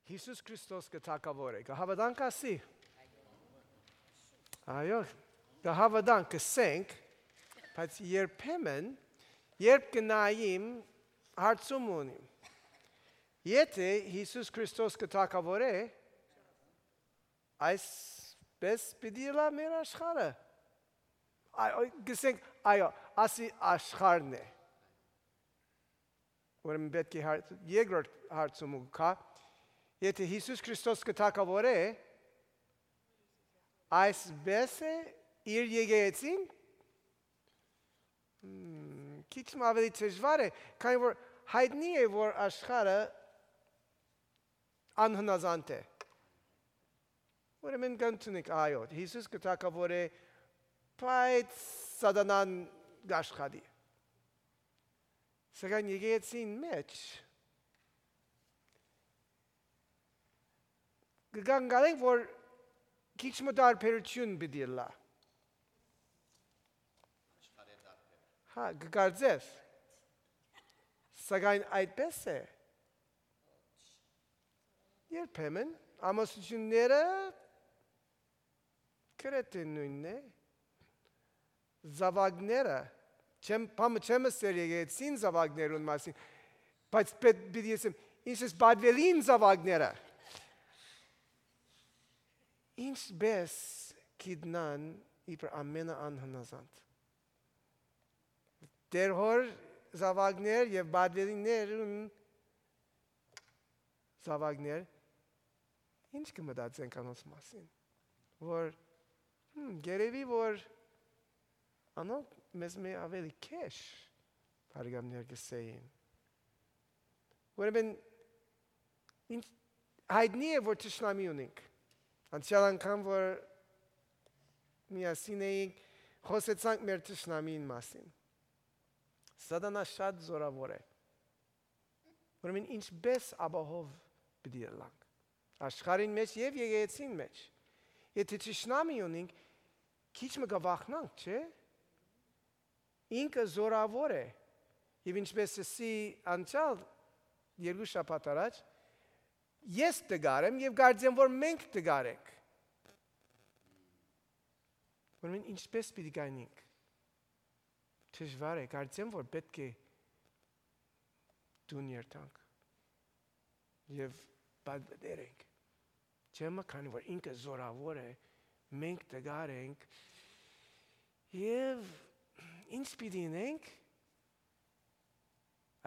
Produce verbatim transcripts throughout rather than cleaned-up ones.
Յիսուս Քրիստոս կը թագաւոր է։ Կը հաւատանք ասի։ Այո, կը հաւատանք, կը սենք, բայց երբեմն, երբ կը նայիմ, հարցում ունիմ։ Եթե Յիսուս Քրիստոս կը թագաւոր է, այսպես պիտի ըլլայ մեր աշխարհը։ Այո, կը սենք, այո, ասի աշխարհն է։ Ուրեմն պէտք է հարց-, երկրորդ հարցումը գայ, եթե Յիսուս Քրիստոս կը թագաւոր է, այսպես է իր եկեղեցին, հմ, քիչ մը աւելի դժուար է, քանի որ յայտնի է, որ աշխարհը անհնազանդ է։ Ուրեմն կ'ընդունենք, այո, Յիսուս կը թագաւոր է, բայց սատանան կ'աշխատի։ Սակայն եկեղեցին մէջ կը կանգնենք, որ քիչ մը տարբերութիւն պիտի ըլլայ։ Հա, կը կարծես։ Սակայն այդպես է։ Երբեմն ամուսնութիւնները գրեթէ նոյնն է, զաւակները, չեմ, բանը չեմ ըսեր եկեղեցին զաւակներուն մասին, բայց պէտ-, պիտի ըսեմ, ինչ ես պատվելին զաւակները։ Ինչպես գիտնան իբր ամենը անհնազանդ։ Տեր հօր զաւակներ եւ պատվելիներուն զաւակներ, ինչ կը մտածենք անոնց մասին, որ, հմ, երեւի որ անոնք մեզ մէ աւելի քեշ, բարեկամներ կ'ըսէին։ Ուրեմն, ինչ յայտնի է, որ թշնամի ունենք։ Անցեալ անգամ, որ միասին էինք, խօսեցանք մեր թշնամին մասին։ Սատանա շատ զօրաւոր է։ Ուրեմն ինչպես ապահով պիտի ըլլանք աշխարհին մէջ եւ եկեղեցին մէջ։ Եթե թշնամի ունենք, քիչ մը կը վախնանք, չէ՞։ Ինքը զօրաւոր է։ Եւ ինչպես ըսի անցեալ երկու շաբաթ առաջ, ես տկար եմ եւ կարծեմ, որ մենք տկար ենք։ Ուրեմն ինչպես պիտի գայնենք։ Դժուար է, կարծեմ, որ պէտք է տուն երթանք եւ պատվերենք։ Չէ՞ մը, քանի որ ինքը զօրաւոր է, մենք տկար ենք, եւ ինչ պիտի ընենք,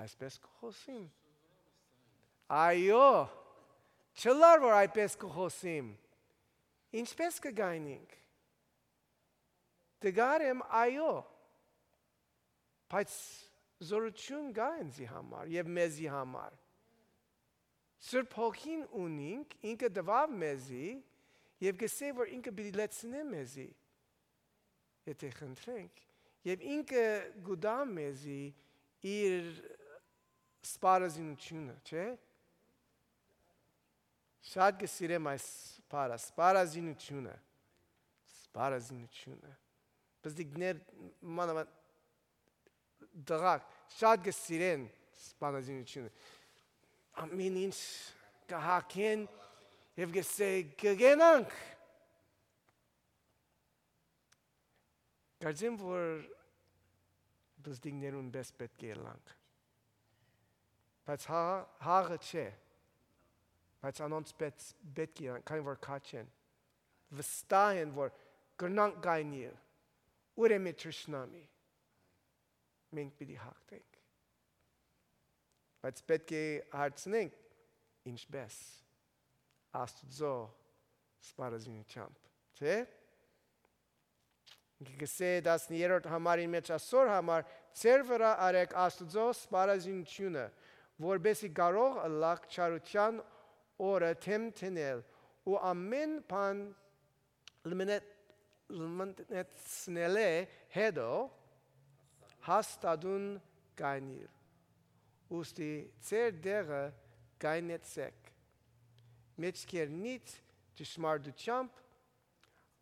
այսպես կը խօսիմ։ Այո, չըլլար որ այդպես կը խօսիմ, ինչպես կը գայնենք։ Տկար եմ, այո, բայց զօրութիւն կայ ինծի համար եւ մեզի համար։ Սուրբ Հոգին ունինք, ինքը տուաւ մեզի եւ կ'ըսէ, որ ինքը պիտի լեցնէ մեզի, եթե խնդրենք, եւ ինքը կու տայ մեզի իր սպառազինութիւնը, չէ՞։ Շատ կը սիրեմ այս բառը, սպառազինութիւնը, սպառազինութիւնը։ Պզտիկներ, մանավանդ տղաք, շատ կը սիրեն սպառազինութիւնը։ Ամեն ինչ կը հագեն եւ կ'ըսէ, «Կը գնանք»։ Կարծեմ, որ պզտիկներուն պէս պէտք է ըլլանք։ Բայց հա-, հաղը չէ, բայց անոնց պէս պէտք է ըլլանք, քանի որ քաջ են, վստահ են, որ կրնանք գայնիլ, ուրեմն թշնամի, մենք պիտի հաղթենք։ Բայց պէտք է հարցնենք, ինչպես։ Աստուծոյ սպառազինութեամբ, չէ՞։ Ինքը կ'ըսէ տասներորդ համարին մէջ, ասոր համար ձեր վրայ արեք Աստուծոյ սպառազինութիւնը, որպէսզի կարող ըլլաք չարութեան օրը դէմ դնել ու ամէն բան լմնե-, լմնեցնելէ հետո հաստատուն կայնիլ։ Ուստի ձեր տեղը կայնեցէք, մէջքերնիդ ճշմարտութեամբ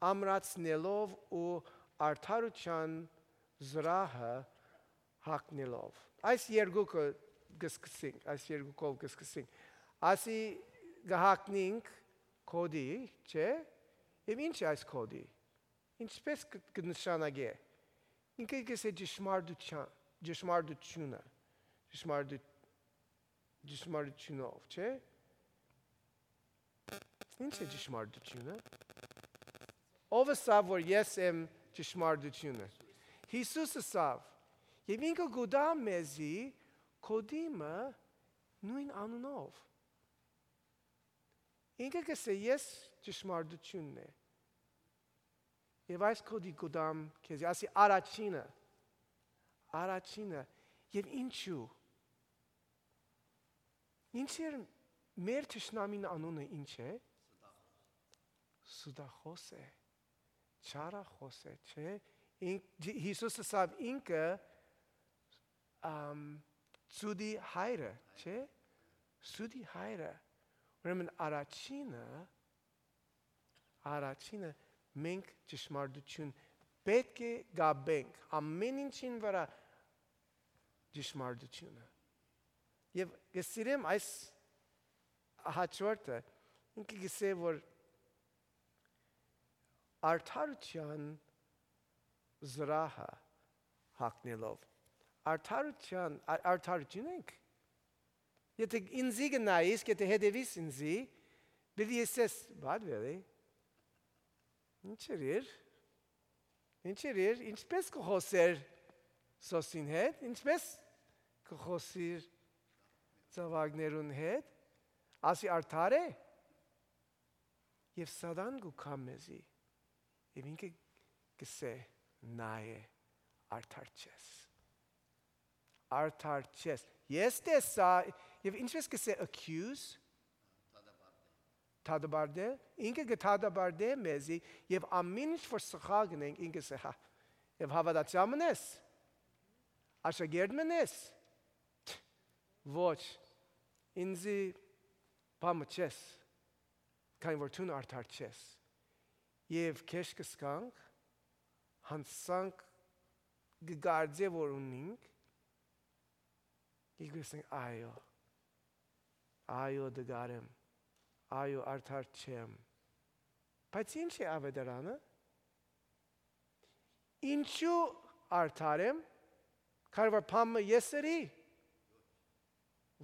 ամրացնելով ու արդարութեան զրահը հագնելով։ Այս երկուքը կը սկսենք, այս երկուքով կը սկսենք։ Ասի կը հագնինք գօտի, չէ՞։ Եւ ի՞նչ է այս գօտի։ Ինչպէս կը, կը նշանակէ։ Ինքը կ'ըսէ ճշմարտութեան, ճշմարտութիւնը, ճշմարտու-, ճշմարտութիւնով, չէ՞։ Ի՞նչ է ճշմարտութիւնը։ Ո՞վ ըսաւ որ ես եմ ճշմարտութիւնը։ Յիսուս ըսաւ։ Եւ ինքը կու տայ մեզի գօտի մը նոյն անունով։ Ինքը կ'ըսէ ես ճշմարտութիւնն է։ Եւ այս գօտի կու տամ քեզի, ասի առաջինը, առաջինը, եւ ինչու։ Ինչ էր մեր թշնամին անունը, ինչ է։ Սուտախոս է, չարախոս է, չէ՞։ Ինք, Յիսուս ըսաւ ինքը, ամ, սուտի հայրը, չէ՞։ Սուտի հայրը։ Ուրեմն առաջինը, առաջինը մենք ճշմարտութիւն պէտք է կապենք, ամէն ինչին վրայ ճշմարտութիւնը։ Եւ կը սիրեմ այս հաջորդը, ինքը կ'ըսէ որ արդարութեան զրահը հագնելով, արդարութեան, ա-, արդարութիւն ենք։ Եթե ինձի կը նայիս, եթե հետեւիս ինձի, պիտի ըսես, «Բադվելի, ինչ էր իր, ինչ էր իր, ինչպէս կը խօսեր Սոսին հետ, ինչպէս կը խօսիր զաւակներուն հետ, ասի արդար է»։ Եւ Սատան կու գայ մեզի, եւ ինքը կ'ըսէ. «Նայ է, արդար չես, արդար չես»։ Ես տեսայ, եւ ինչպէս կ'ըսէ, accuse, դատապարտել, ինքը կը դատապարտէ մեզի, եւ ամէն ինչ որ սխալ կ'ընենք, ինքը կ'ըսէ. «Հա, եւ հաւատացեալ մըն ես, աշակերտ մըն ես, ոչ, ինձի բան մը չես, քանի որ դուն արդար չես»։ Եւ քեշ կը սկանք, յանցանք կը կարծէ որ ունինք, եւ կ'ըսենք. «Այո, այո, դգար եմ, այո, արդար չեմ»։ Բայց ի՞նչ է աւետարանը։ Ինչու արդար եմ, քանի որ բան մը ես ըրի։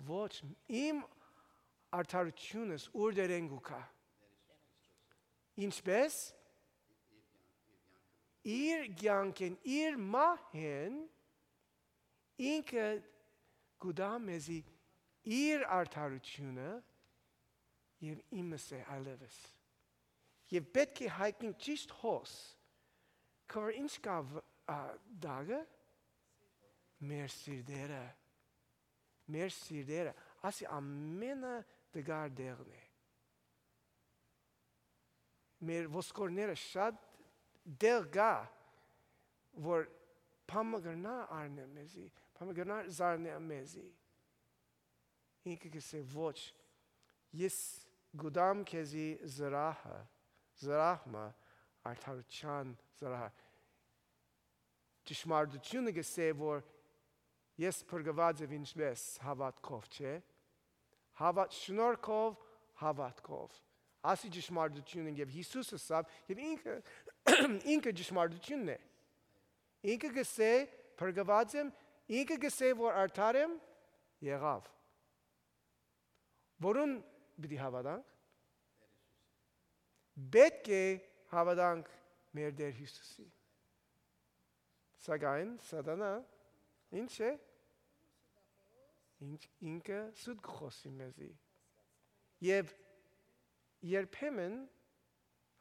Ոչ, իմ արդարութիւնս ուրդերէն կու գայ։ Ինչպէս։ Իր կեանքէն, իր մահէն, ինքը կու տայ մեզի իր արդարութիւնը եւ իմս է այլեւս։ Եւ պէտք է հայտնենք ճիշտ հոս, քանի որ ինչ կայ վ-, ա, տակը, մեր սիրտերը, մեր սիրտերը, ասի ամենը տկար տեղն է։ Մեր ոսկորները շատ տեղ կայ, որ բան մը կրնայ առնել մեզի, բան մը կրնայ զարնել մեզի։ Ինքը կ'ըսէ. «Ոչ, ես կու տամ քեզի զրահը, զրահ մը, արդարութեան զրահը»։ Ճշմարտութիւնը կ'ըսէ որ ես փրկուած եմ ինչպէս հաւատքով, չէ՞։ Հաւատ շնորհքով, հաւատքով։ Ասի ճշմարտութիւնը, եւ Յիսուս ըսաւ, եւ ինքը, ինքը ճշմարտութիւնն է։ Ինքը կ'ըսէ. «Փրկուած եմ», ինքը կ'ըսէ որ արդար եմ, եղաւ։ Որուն պիտի հաւատանք։ Պէտք է հաւատանք մեր Տէր Յիսուսի։ Սակայն Սատանա ինչ է։ Ինչ, ինքը սուտ կը խօսի մեզի։ Եւ երբեմն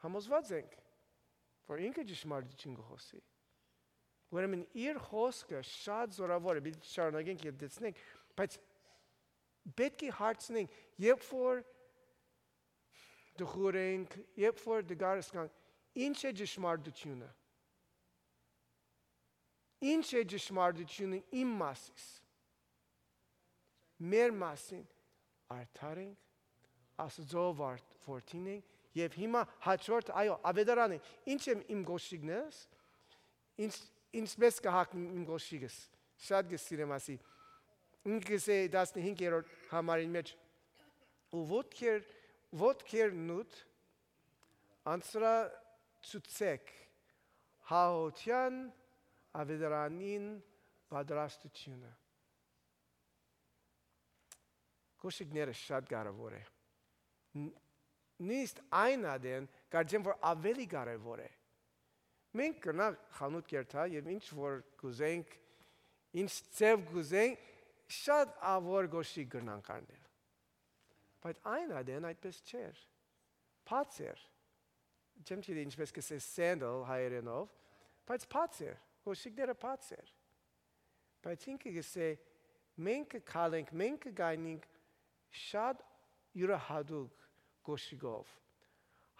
համոզված ենք որ ինքը ճշմարտութիւն կը խօսի։ Ուրեմն իր խօսքը շատ զօրաւոր է, պիտի շարունակենք եւ տեսնենք, բայց պէտք է հարցնենք, երբ որ տխուր ենք, երբ որ տկար սկանք, ինչ է ճշմարտութիւնը։ Ինչ է ճշմարտութիւնը իմ մասիս, մեր մասին։ Արդար ենք, Աստուծոյ վար-, որդին ենք, եւ հիմա հաջորդ, այո, աւետարան է։ Ինչ եմ իմ կոշիկներս, ինչ, ինչպես կը հագնեմ իմ կոշիկս։ Շատ կը սիրեմ ասի։ Ինքը կ'ըսէ տասնհինգերորդ համարին մէջ. «Ու ոտքեր ոտքերնուդ անցրացուցեք հաղթութեան աւետարանին պատրաստութիւնը։ Կոշիկները շատ կարեւոր է։ Ն-, նույնիսկ այն ատեն կարծեմ որ աւելի կարեւոր է։ Մենք կրնանք խանութ կերթալ եւ ինչ որ կուզենք, ինչ ձեւ կուզենք, շատ աւոր կոշիկ կրնանք առնել։ Բայց այն ատեն այդպես չէր։ Բաց էր։ Չեմ գիտի ինչպես կսե sandal հայերենով, բայց բաց էր, կոշիկները բաց էր։ Բայց ինքը կսե, մենք կքալենք, մենք կգայնենք շատ յուրահատուկ կոշիկով,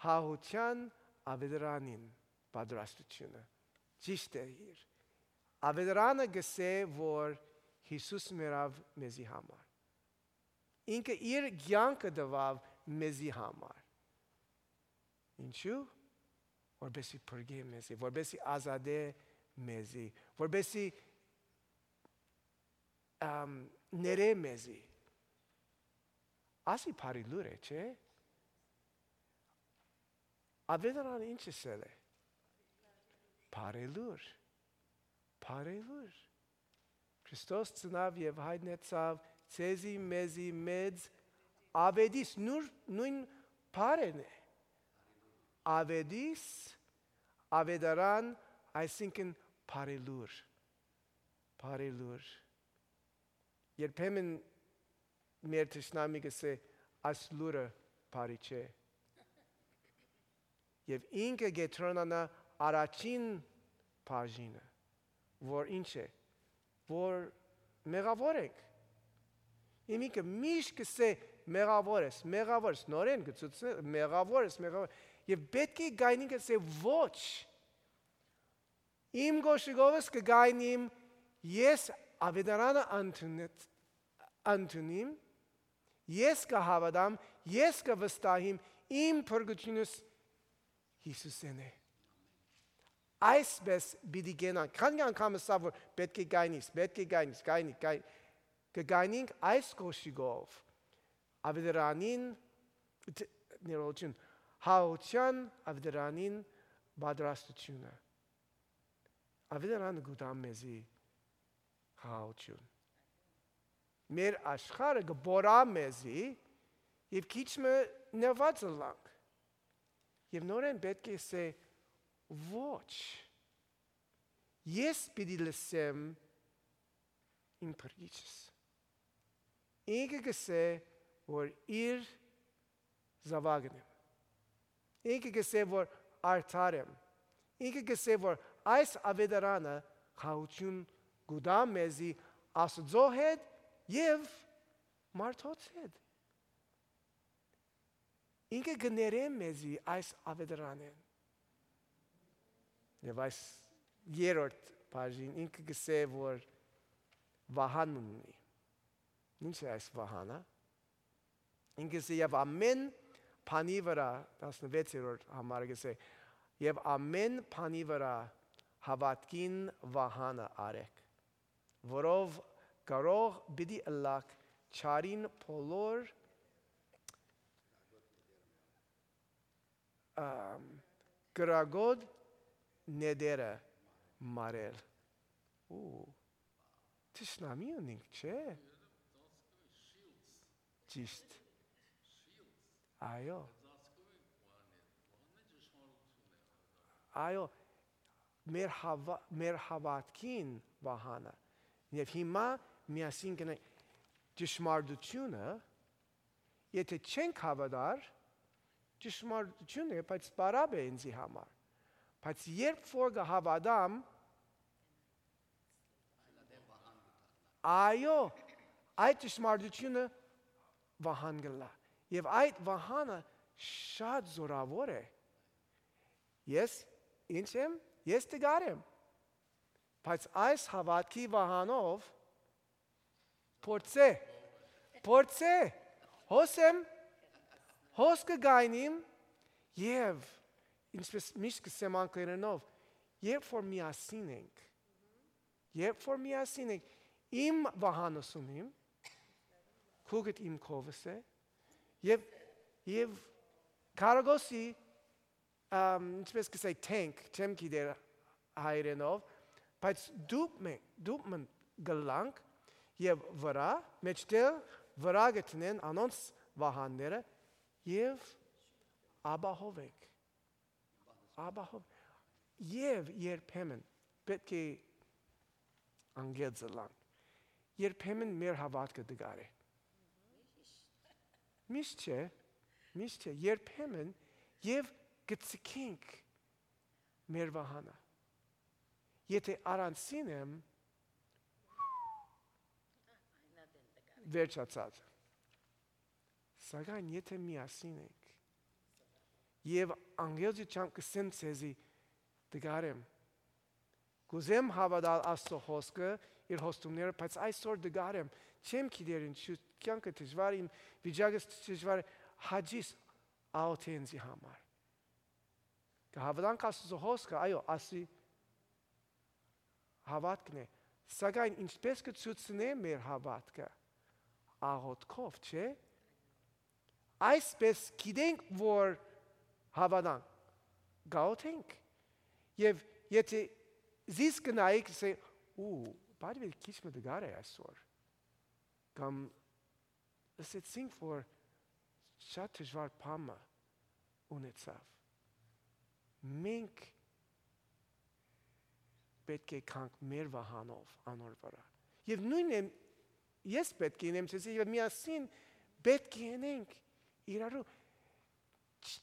հաղթութեան աւետարանին պատրաստութիւնը։ Ճիշդ է իր։ Աւետարանը կսե, որ Յիսուս մեռաւ մեզի համար։ Ինքը իր կեանքը տուաւ մեզի համար։ Ինչու՞։ Որպեսզի փրկէ մեզի, որպեսզի ազատէ մեզի, որպեսզի, ամ, ներէ մեզի։ Ասի բարի լուր է, չէ՞։ Աւետարանը ինչ ըսել է։ Բարի լուր, բարի լուր։ Քրիստոս ծնաւ եւ հայտնեցաւ ձեզի, մեզի մեծ աւետիս, նուր-, նոյն բառն է։ Աւետիս, աւետարան, այսինքն բարի լուր, բարի լուր։ Երբեմն մեր թշնամի կսե, այս լուրը բարի չէ։ Եւ ինքը կետրոնանայ առաջին բաժինը, որ ինչ է, որ մեղաւոր ենք։ Եւ ինքը միշտ կսե, «Մեղաւոր ես, մեղաւոր ես», նորէն կցուցնէ, «Մեղաւոր ես, մեղաւոր»։ Եւ պէտք է գայնին կսե, «Ոչ, իմ կոշիկովս կը գայնիմ, ես աւետարանը ընդունեց, ընդունիմ, ես կը հաւատամ, ես կը վստահիմ, իմ փրկութիւնս Յիսուսէն է»։ Այսպես պիտի կենանք։ Քանի՞ անգամ ըսաւ, որ պէտք է գայնիս, պէտք է գայնիս, գայնի, գայ-, կը գայնինք այս կոշիկով, աւետարանին, դ-, ներողություն, հաղթութեան աւետարանին պատրաստութիւնը։ Աւետարանը կու տայ մեզի խաղաղութիւն։ Մեր աշխարհը կը պոռայ մեզի եւ քիչ մը նեղուած ըլլանք։ Եւ նորէն պէտք է ըսե, «Ոչ, ես պիտի լսեմ իմ փրկիչս»։ Ինքը կսե, որ իր զաւակն եմ։ Ինքը կսե, որ արդար եմ։ Ինքը կսե, որ այս աւետարանը խաղաղութիւն կու տայ մեզի Աստուծոյ հետ եւ մարդոց հետ։ Ինքը կներէ մեզի այս աւետարանէն։ Եւ այս երրորդ բաժին ինքը կսե, որ վահան ունի։ Ինչ է այս վահանը։ Ինքը կսե, «Եւ ամէն բանի վրայ», տասնվեցերորդ համարը կսե, «Եւ ամէն բանի վրայ հաւատքին վահանը առէք, որով կարող պիտի ըլլաք չարին բոլոր, ամ, կրակոտ նետերը մարել»։ Ու, թշնամի ունինք, չէ՞։ Ճիշտ։ Այո։ Այո, մեր հաვა-, մեր հաւատքին վահանը։ Եւ հիմա միասին գնանք ճշմարտությունը, եթե չենք հաւատար, ճշմարտություն է, բայց պարապ է ինձի համար։ Բայց երբ որ կհաւատամ, այո, այդ ճշմարտությունը վահան կ'ըլլայ։ Եւ այդ վահանը շատ զօրաւոր է։ Ես ի՞նչ եմ, ես տկար եմ։ Բայց այս հաւատքի վահանով փորձէ, փորձէ, հոս եմ, հոս կը գայնիմ, եւ, ինչպես միշտ կ'ըսեմ անգլերէնով, երբ որ միասին ենք, երբ որ միասին ենք, իմ վահանս ունիմ, քուկդ իմ քովս է, եւ Եւ քարակոսի, ամ, ինչպես կ'ըսէի, tank, չեմ գիտեր հայերէնով, բայց դուփ մը, դուփ մը կ'ըլլանք եւ վրայ, մէջտեղ վրայ կը դնեն անոնց վահանները եւ ապահով ենք։ Ապահով։ Եւ երբեմն պէտք է անգերձ ըլլանք։ Երբեմն մեր հաւատքը տկար է։ Միշտ չէ, միշտ չէ, երբեմն եւ կը ձգենք մեր վահանը։ Եթէ առանձին եմ, վերջացած։ Սակայն եթէ միասին ենք, եւ անգերձ չեմ կ'ըսեմ ձեզի, տկար եմ, կ'ուզեմ հաւատալ Աստծո խօսքը, իր խոստումները, բայց այսօր տկար եմ, չեմ գիտեր ինչու, կեանքը դժուար է, իմ վիճակս դժուար է, հաճիս աղօթէ ինծի համար։ Կը հաւատանք Աստծո խօսքը, այո, ասի հաւատքն է, սակայն ինչպես կը ցուցնէ մեր հաւատքը, աղօթքով, չէ՞։ Այսպես գիտենք, որ հաւատանք, կ'աղօթենք։ Եւ եթէ զիս կը նայեք, կ'ըսէ, «Ու, բարի քիչ մը տկար է այսօր», կամ «Լսեցինք, որ շատ դժուար բան մը ունեցաւ»։ Մենք պէտք է գանք մեր վահանով անոր վրայ։ Եւ նոյնն եմ, ես պէտք է ինեմ ձեզի, եւ միասին պէտք է ընենք իրարու։ Չ-,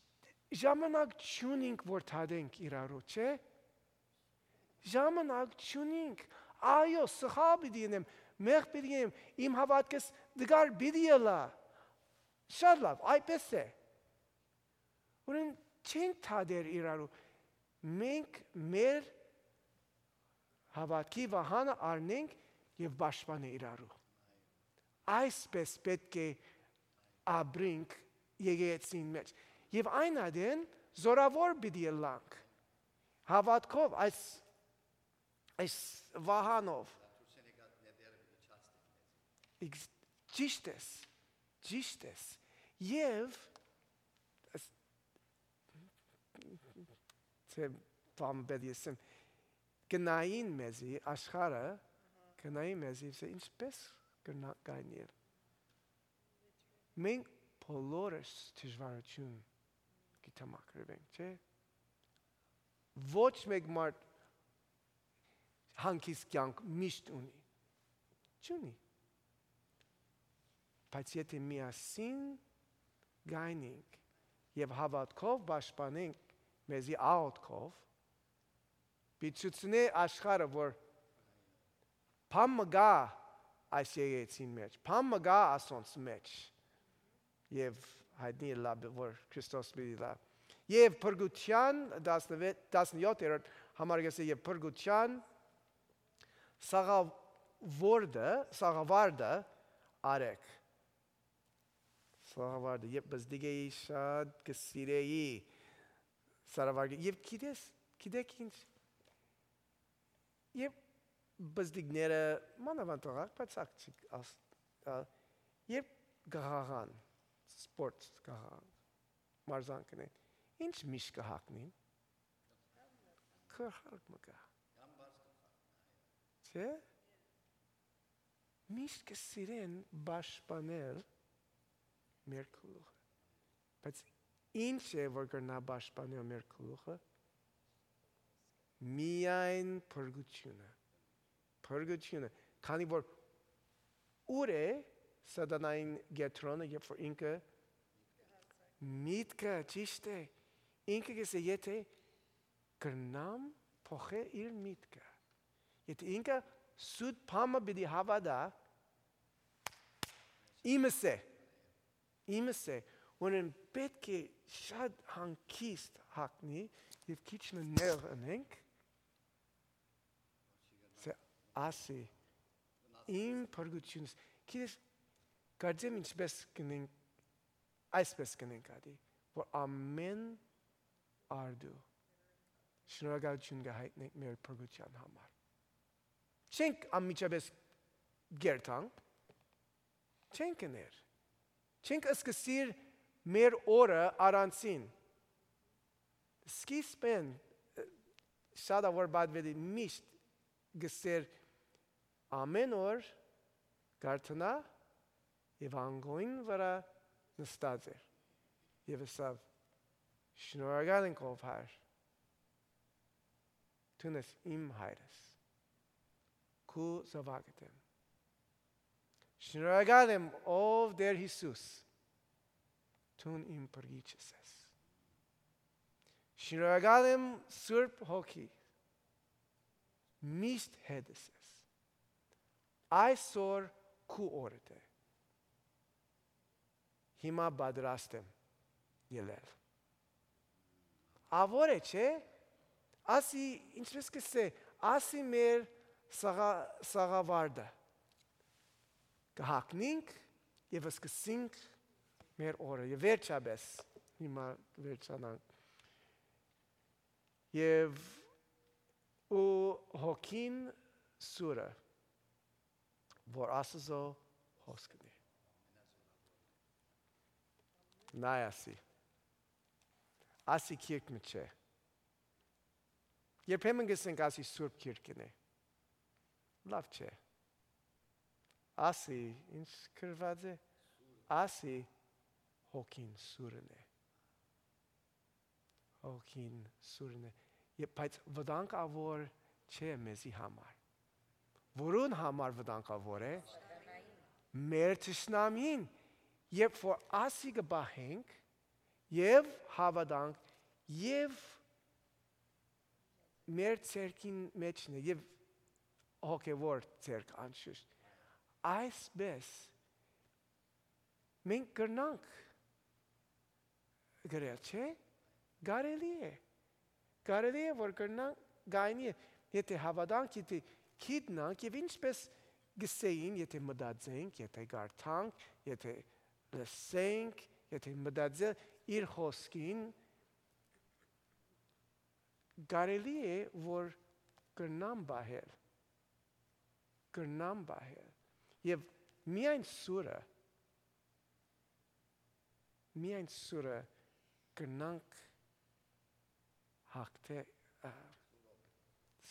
ժամանակ չունինք, որ դատենք իրարու, չէ՞։ Ժամանակ չունինք։ Այո, սխալ պիտի ընեմ, մեղք պիտի ընեմ, իմ հաւատքս տկար պիտի ըլլայ։ Շատ լաւ, այդպես է։ Ուրեմն չենք դատեր իրարու։ Մենք մեր հաւատքի վահանը առնենք եւ պաշտպանենք իրարու։ Այսպես պէտք է ապրենք եկեղեցին մէջ։ Եւ այն ատեն զորաւոր պիտի ըլլանք։ Հաւատքով, այս, այս վահանով։ Իգ-, ճիշդ ես, ճիշտ ես։ Եւ այս, չէ, բան պետք է ասեմ, կը նային մեզի, աշխարհը, կը նային մեզի, ասէ, ինչպես կրնայ գայնիլ։ Մենք բոլորս դժուարութիւն կը դիմագրուենք, չէ՞։ Ոչ մէկ մարդ հանգիստ կեանք միշտ ունի։ Չունի։ Բայց եթէ միասին գայնենք եւ հաւատքով պաշտպանենք մեզի աղօթքով, պիտի ցուցնէ աշխարհը, որ բան մը կայ այս եկեղեցին մէջ, բան մը կայ ասոնց մէջ, եւ յայտնի ըլլայ, որ Քրիստոս պիտի ըլլայ։ Եւ Փրկութեան տասնեւեթ, տասնեթերորդ համար կ'ըսէ, եւ Փրկութեան սաղաւորդը, սաղավարտը արեք։ Սաղավարտը, երբ պզտիկ էի, շատ կը սիրէի սաղավարտը։ Եւ գիտես, գիտեք ինչ, երբ պզտիկները, մանաւանդ աղաք, բայց աղջիկ, աս-, ա, երբ կ'աղաղան, սպորտ կ'աղաղան, մարզանքն է, ինչ միշտ կը հագնին, գլխարկ մը կայ, չէ՞։ Միշտ կը սիրեն պաշտպանել մեր գլուխը։ Բայց ինչ է, որ կրնայ պաշտպանել մեր գլուխը։ Միայն փրկութիւնը։ Փրկութիւնը։ Քանի որ ուր է սատանային կեդրոնը, երբ որ ինքը միտքը, ճիշտ է, ինքը կ'ըսէ, եթէ կրնամ փոխել իր միտքը, եթէ ինքը սուտ բան մը պիտի հաւատայ, իմս է, իմս է, ուրեմն պէտք է շատ հանգիստ հագնի եւ քիչ մը նեղ ընենք, սա ասի, իմ փրկությունս, գիտես, կարծեմ ինչպես կ'ընենք, այսպես կ'ընենք ատի, որ ամէն արդու շնորհակալութիւն կը հայտնենք մեր փրկութեան համար։ Չենք անմիջապէս կերթանք, չենք ըներ, չենք սկսիր մեր օրը առանցին։ Սկիզբէն, ը, շատ ա որ պատուելի միշտ գսեր, ամէն օր կարթնայ եւ անկոյն վրայ նստած էր։ Եւ ըսաւ. «Շնորհակալ ենք, ով Հայր, դուն ես իմ Հայրս, քու զաւակդ եմ։ Շնորհակալ եմ, ով Տէր Յիսուս, դուն իմ Փրկիչս ես։ Շնորհակալ եմ, Սուրբ Հոգի, միշտ հետս ես։ Այսօր քու օրդ է։ Հիմա պատրաստ եմ ելել»։ Ա ո՞ր է, չէ՞։ Ասի, ինչպես կ'ըսէ, ասի մեր սաղա-, սաղավարտը։ Կը հագնինք եւ սկսենք մեր օրը։ Եւ վերջապէս, հիմա վերջանանք։ Եւ ու հոգին սուրը, որ Աստուծոյ հոսքն է։ Նայ ասի։ Ասի գիրք մը չէ։ Երբեմն կ'ըսենք, ասի սուրբ գիրքն է։ Լաւ չէ։ Ասի, ինչ գրուած է, ասի հոգին սուրն է։ Հոգին սուրն է։ Ե-, բայց վտանգ ա որ չէ մեզի համար։ Որուն համար վտանգ ա որ է։ Մեր թշնամին, երբ որ ասի կը պահենք, եւ հաւատանք, եւ մեր ցերկին մէջն է, եւ հոգեւոր ցերկ անշուշտ։ Այսպէս մենք կրնանք գրել, չէ՞։ Կարելի է։ Կարելի է որ կրնանք գայնի, եթե հաւատանք, եթե գիտնանք, եւ ինչպես գսեին, եթե մտածենք, եթե կարդանք, եթե լսենք, եթե մտածել իր խոսքին, կարելի է որ կրնամ պահել, կրնամ պահել։ Եւ միայն սուրը, միայն սուրը կրնանք հագնել, ա,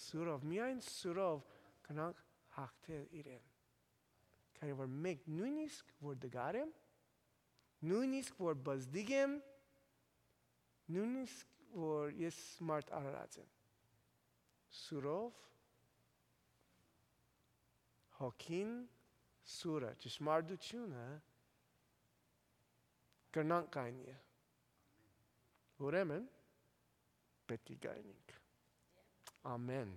սուրով, միայն սուրով կրնանք հագնել իրեն։ Քանի որ մենք նույնիսկ որ դգար եմ, նույնիսկ որ բզդիկ եմ, նույնիսկ որ ես մարդ արարած եմ, սուրով, հոգին սուրը, ճշմարտությունը կրնանք կայնի։ Ուրեմն պէտք է կայնենք։ Ամեն։